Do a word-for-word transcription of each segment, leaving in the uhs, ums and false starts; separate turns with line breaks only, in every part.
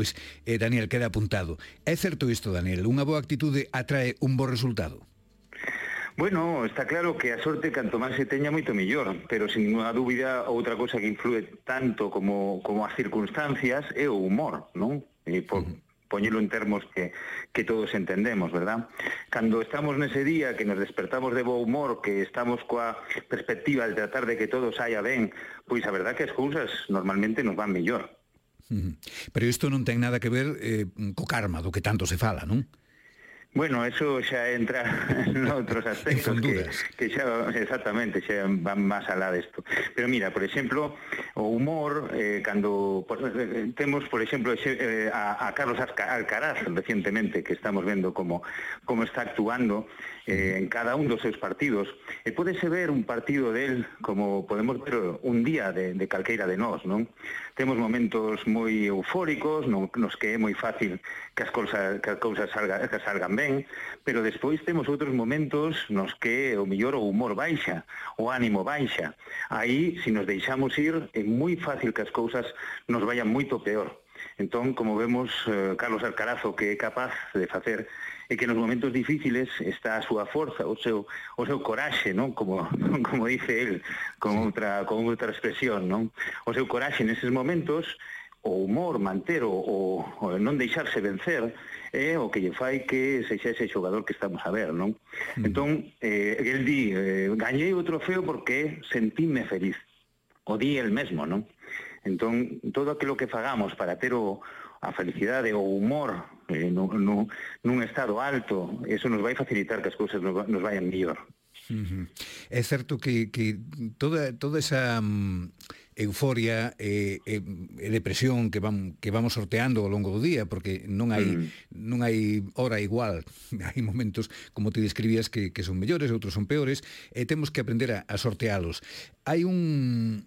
Pois, eh, Daniel, queda apuntado. É certo isto, Daniel? Unha boa actitude atrae un bo resultado?
Bueno, está claro que a sorte canto máis se teña moito mellor, pero sin ninguna dúbida outra cosa que influe tanto como, como as circunstancias é o humor, non? E por, uh-huh. poñelo en termos que, que todos entendemos, verdad? Cando estamos nese día, que nos despertamos de bo humor, que estamos coa perspectiva de tratar de que todo saia ben, pois a verdad que as cousas normalmente nos van mellor.
Pero isto non ten nada que ver eh, co karma, do que tanto se fala, non?
Bueno, eso xa entra en outros aspectos que, que xa, exactamente, xa van máis alá desto. Pero mira, por exemplo, o humor, eh, cando por, eh, temos, por exemplo, eh, a, a Carlos Alcaraz recientemente, que estamos vendo como, como está actuando eh, en cada un dos seus partidos, e pódese ver un partido del como podemos ver un día de, de calqueira de nós, non? Temos momentos moi eufóricos, non, nos que é moi fácil que as cousas, que as cousas salga, que salgan ben, pero despois temos outros momentos nos que o mellor o humor baixa, o ánimo baixa. Aí, se nos deixamos ir, é moi fácil que as cousas nos vayan moito peor. Entón, como vemos, eh, Carlos Alcaraz o que é capaz de facer é que nos momentos difíciles está a súa forza, o seu, o seu coraxe, non? Como, como dice él, con outra, con outra expresión, non? O seu coraxe neses momentos, o humor, manter o, o, o non deixarse vencer, é o que lle fai que sexa ese xogador que estamos a ver, non? Mm. Entón, eh, el di, eh, gañei o trofeo porque sentíme feliz. O di el mesmo, non? Entón, todo aquilo que fagamos para ter o, a felicidade, o humor eh, no, no, nun estado alto, eso nos vai facilitar que as cousas nos, nos vayan mellor.
Uh-huh. É certo que, que toda, toda esa um, euforia e, e, e depresión que, vam, que vamos sorteando ao longo do día, porque non hai, mm. non hai hora igual, hai momentos, como te describías, que, que son mellores, outros son peores, e temos que aprender a, a sortealos. Hai un...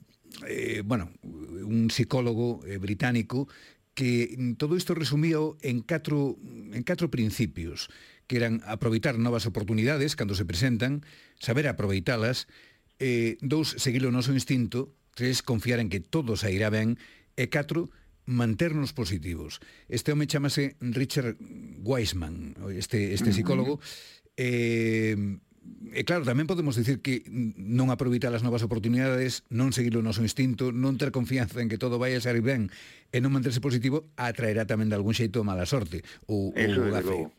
Eh, bueno, un psicólogo eh, británico que todo isto resumío en catro, en catro principios, que eran aproveitar novas oportunidades cando se presentan, saber aproveitalas, eh, dous, seguir o noso instinto, tres, confiar en que todo sairá ben, e catro, manternos positivos. Este home chamase Richard Wiseman, este, este psicólogo, eh, e claro, tamén podemos dicir que non aproveitar as novas oportunidades, non seguir o noso instinto, non ter confianza en que todo vai a sair ben e non manterse positivo, atraerá tamén de algún xeito mala sorte ou,
Eso
ou
a fe.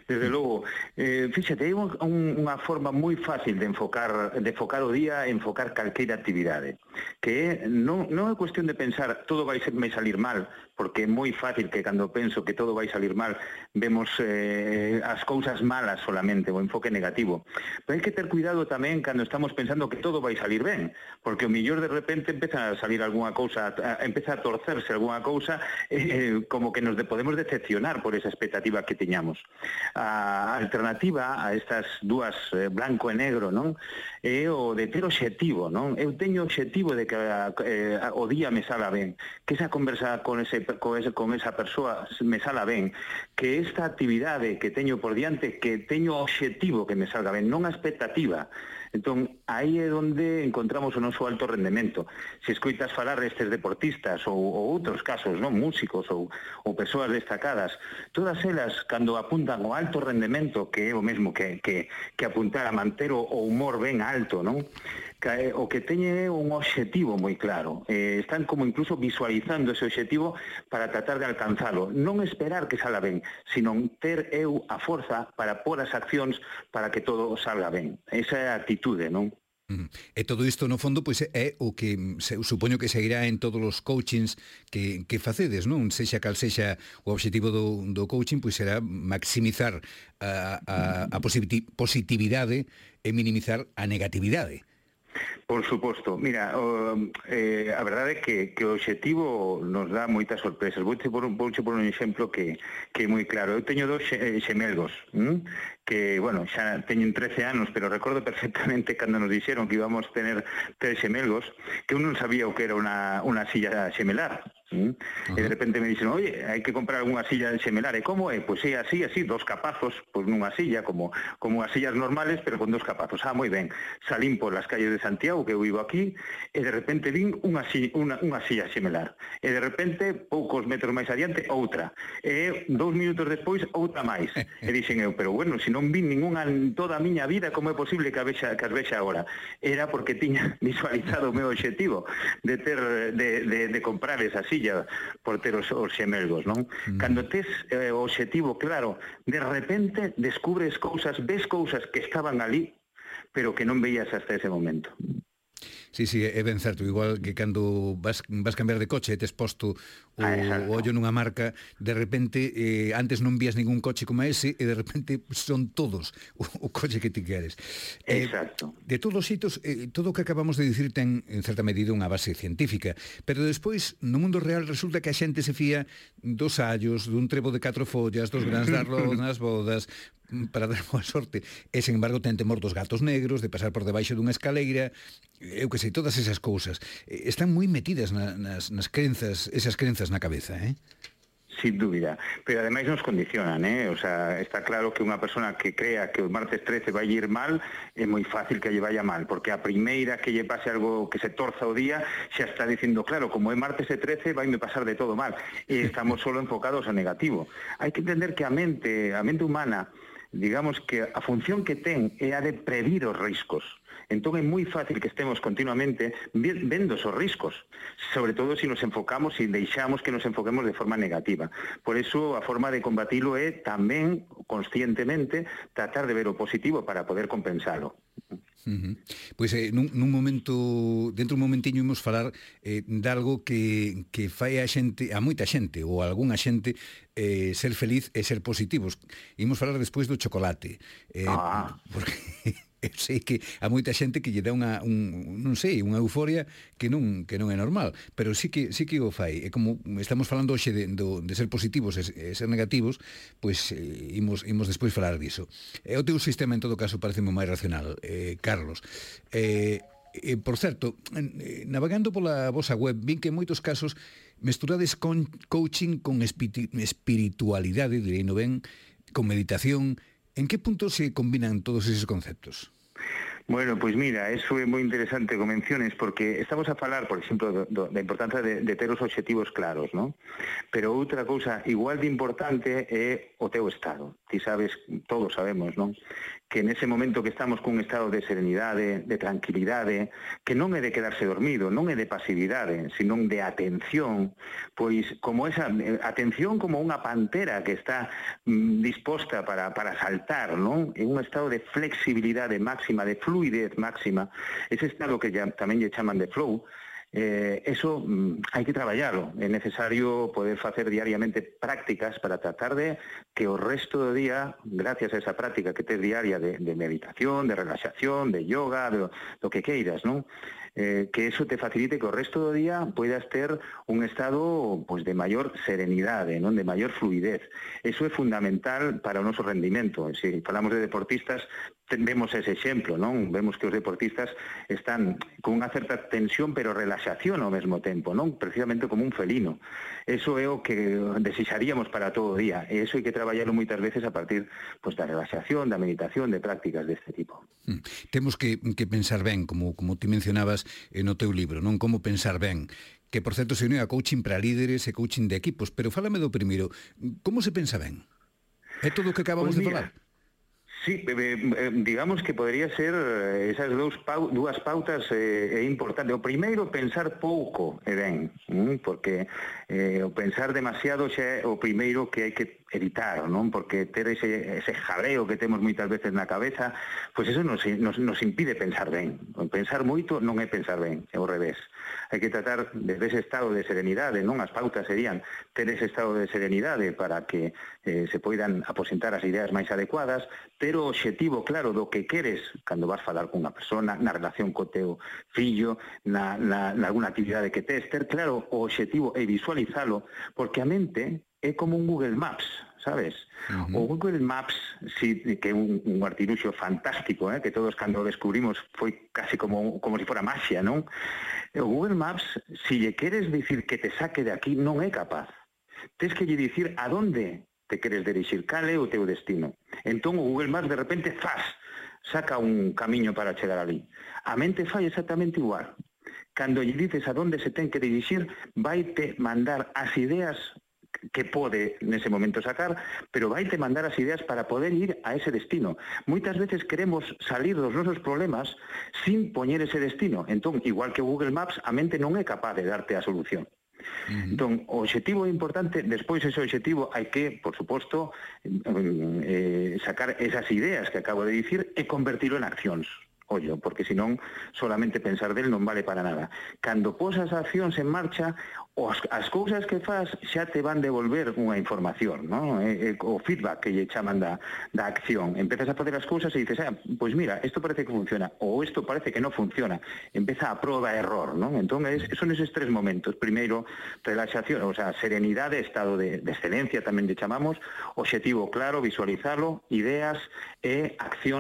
Desde logo, eh, fíxate, é un, unha forma moi fácil de enfocar, de enfocar o día, enfocar calqueira actividade, que é, non, non é cuestión de pensar todo vai, vai salir mal, porque é moi fácil que cando penso que todo vai salir mal, vemos eh, as cousas malas solamente, o enfoque negativo. Pero hai que ter cuidado tamén cando estamos pensando que todo vai salir ben, porque o millor de repente empeza a salir algunha cousa, a, empeza a torcerse algunha cousa, eh, como que nos de, podemos decepcionar por esa expectativa que teñamos. A alternativa a estas dúas eh, blanco e negro, non? É o de ter obxectivo, non? Eu teño obxectivo de que eh, o día me sala ben, que esa conversa con ese con, ese, con esa persoa me sala ben, que esta actividade que teño por diante, que teño obxectivo que me salga ben, non a expectativa. Entón, aí é onde encontramos o noso alto rendemento. Se escoitas falar estes deportistas ou, ou outros casos, non, músicos ou, ou persoas destacadas, todas elas, cando apuntan ao alto rendemento, que é o mesmo que, que, que apuntar a manter o, o humor ben alto, non? Que, o que teñe un obxectivo moi claro. Eh, están como incluso visualizando ese obxectivo para tratar de alcanzalo. Non esperar que salga ben, sino ter eu a forza para pôr as accións para que todo salga ben. Esa é a actitude, non?
Mm. E todo isto, no fondo, pois é o que se, supoño que seguirá en todos os coachings que, que facedes, non? Sexa cal sexa o obxectivo do, do coaching, pois será maximizar a, a, a positividade e minimizar a negatividade.
Por suposto. Mira, o, eh, a verdade é que, que o obxectivo nos dá moitas sorpresas. Vouche por, vouche por un exemplo que, que é moi claro. Eu teño dos xemelgos, ¿m? que, bueno, xa teñen trece anos, pero recordo perfectamente cando nos dixeron que íbamos tener tres xemelgos, que eu non sabía o que era unha, unha silla xemelar. ¿Mm? Uh-huh. E de repente me dicen, oye, hai que comprar unha silla de xemelar, e como é? Pois é así, así, dos capazos, pois nunha silla, como como as sillas normales, pero con dos capazos. Ah, moi ben. Salín por las calles de Santiago, que eu vivo aquí, e de repente vin unha silla, unha, unha silla xemelar. E de repente, poucos metros máis adiante, outra. E dous minutos despois, outra máis. E dixen eu, pero bueno, se non vin ninguna en toda a miña vida, como é posible que, a vexa, que as vexa agora? Era porque tiña visualizado o meu obxectivo de ter de, de, de comprar esa silla por ter os, os xemelgos, non? Mm. Cando tes eh, o obxectivo claro, de repente descubres cousas, ves cousas que estaban ali, pero que non veías hasta ese momento.
Sí, sí, é ben certo, igual que cando vas, vas cambiar de coche e tes posto o,
ah,
o ollo nunha marca, de repente eh, antes non vías ningún coche como ese e de repente son todos o, o coche que ti queres.
Exacto.
Eh, de todos os xitos, eh, todo o que acabamos de dicir ten en certa medida unha base científica, pero despois no mundo real resulta que a xente se fía dos allos, dun trevo de catro follas, dos grans de arroz nas bodas, para dar boa sorte, e sen embargo ten temor dos gatos negros, de pasar por debaixo dunha escaleira, eu que sei, todas esas cousas están moi metidas na, nas, nas crenzas, esas crenzas na cabeza, eh?
Sin dúbida, pero ademais nos condicionan, eh? O sea, está claro que unha persona que crea que o martes trece vai ir mal, é moi fácil que lle vaya mal, porque a primeira que lle pase algo que se torza o día, xa está dicindo, claro, como é martes e trece, vai me pasar de todo mal, e estamos solo enfocados ao negativo. Hai que entender que a mente, a mente humana, digamos que a función que ten é a de predir os riscos. Entón é moi fácil que estemos continuamente vendo os riscos, sobre todo se nos enfocamos e deixamos que nos enfoquemos de forma negativa. Por eso a forma de combatilo é tamén, conscientemente, tratar de ver o positivo para poder compensalo.
Uh-huh. Pois eh, nun, nun momento, dentro un momentiño imos falar eh, de algo que, que fai a xente, a moita xente ou a algunha xente eh, ser feliz e ser positivos. Imos falar despois do chocolate, eh,
ah.
porque eu sei que a moita xente que lle dá unha, un, non sei, unha euforia que non, que non é normal, pero sí que, sí que o fai. E como estamos falando hoxe de, de, de ser positivos e, e ser negativos, pois eh, imos, imos despois falar diso. E o teu sistema, en todo caso, parece máis racional, eh, Carlos. Eh, eh, por certo, eh, navegando pola vosa web, vin que en moitos casos mesturades con coaching con espiritualidade, direi no ben, con meditación. En que punto se combinan todos esos conceptos?
Bueno, pois mira, eso é moi interesante que menciones, porque estamos a falar, por exemplo, do, do, da importancia de, de ter os obxectivos claros, ¿no? Pero outra cousa igual de importante é o teu estado. Ti sabes, todos sabemos, non? Que nese momento que estamos cun estado de serenidade, de tranquilidade, que non é de quedarse dormido, non é de pasividade, senón de atención, pois como esa atención como unha pantera que está mm, disposta para, para saltar, non? En un estado de flexibilidade máxima, de fluidez máxima, ese estado que ya, tamén lle chaman de flow. Eh, eso mm, hai que traballarlo. É necesario poder facer diariamente prácticas para tratar de que o resto do día, gracias a esa práctica que tes diaria de, de meditación, de relaxación, de yoga, de, do que queiras, non? Eh, que eso te facilite que o resto do día poidas ter un estado pues, de maior serenidade, non? De maior fluidez. Eso é fundamental para o noso rendimento. Se falamos de deportistas, vemos ese exemplo, non? Vemos que os deportistas están con unha certa tensión, pero relaxación ao mesmo tempo, non? Precisamente como un felino. Eso é o que desexaríamos para todo o día. E eso hai que traballarlo moitas veces a partir pues, da relaxación, da meditación, de prácticas deste tipo.
Hmm. Temos que, que pensar ben, como, como ti mencionabas no teu libro, non? Como pensar ben, que por certo se une a coaching para líderes e coaching de equipos, pero fálame do primeiro, como se pensa ben? É todo o que acabamos
pues
de
mira,
falar?
Sí, eh, digamos que podría ser esas dous pau, dúas pautas é eh, importante. O primeiro, pensar pouco e ben, porque eh, o pensar demasiado xa é o primeiro que hai que evitar, non? Porque ter ese, ese jaleo que temos moitas veces na cabeza, pois eso nos, nos, nos impide pensar ben. Pensar moito non é pensar ben, é ao revés. Hai que tratar desde ese estado de serenidade, non? As pautas serían ter ese estado de serenidade para que eh, se poidan aposentar as ideas máis adecuadas, ter o obxectivo claro do que queres cando vas falar cunha persona, na relación co teu fillo, na, na, na alguna actividade que tes, ter claro o obxectivo e visualizalo, porque a mente é como un Google Maps, sabes?
Uh-huh.
O Google Maps, sí, que é un, un artiluxo fantástico, eh, que todos cando o descubrimos foi casi como, como si fora maxia, non? O Google Maps, si lle queres dicir que te saque de aquí, non é capaz. Tens que lle dicir a donde te queres dirixir, cal é o teu destino. Entón o Google Maps de repente, ¡zas!, saca un camiño para chegar ali. A mente fai exactamente igual. Cando lle dices a donde se ten que dirixir, vaite mandar as ideas que pode nese momento sacar, pero vaite mandar as ideas para poder ir a ese destino. Moitas veces queremos salir dos nosos problemas sin poñer ese destino. Entón, igual que o Google Maps, a mente non é capaz de darte a solución. Uh-huh. Entón, o obxectivo é importante, despois ese obxectivo hai que, por suposto, eh, sacar esas ideas que acabo de dicir e convertirlo en accións. Ollo, porque senón solamente pensar del non vale para nada. Cando posas accións en marcha, os, as cousas que faz xa te van devolver unha información, ¿no? E, e, o feedback que lle chaman da, da acción. Empezas a facer as cousas e dices, ah, pois mira, isto parece que funciona, ou isto parece que non funciona. Empeza a proba e error, ¿no? Entón, es, son eses tres momentos. Primeiro, relaxación, o sea, serenidade, estado de, de excelencia, tamén lle chamamos, obxectivo claro, visualizalo, ideas e acción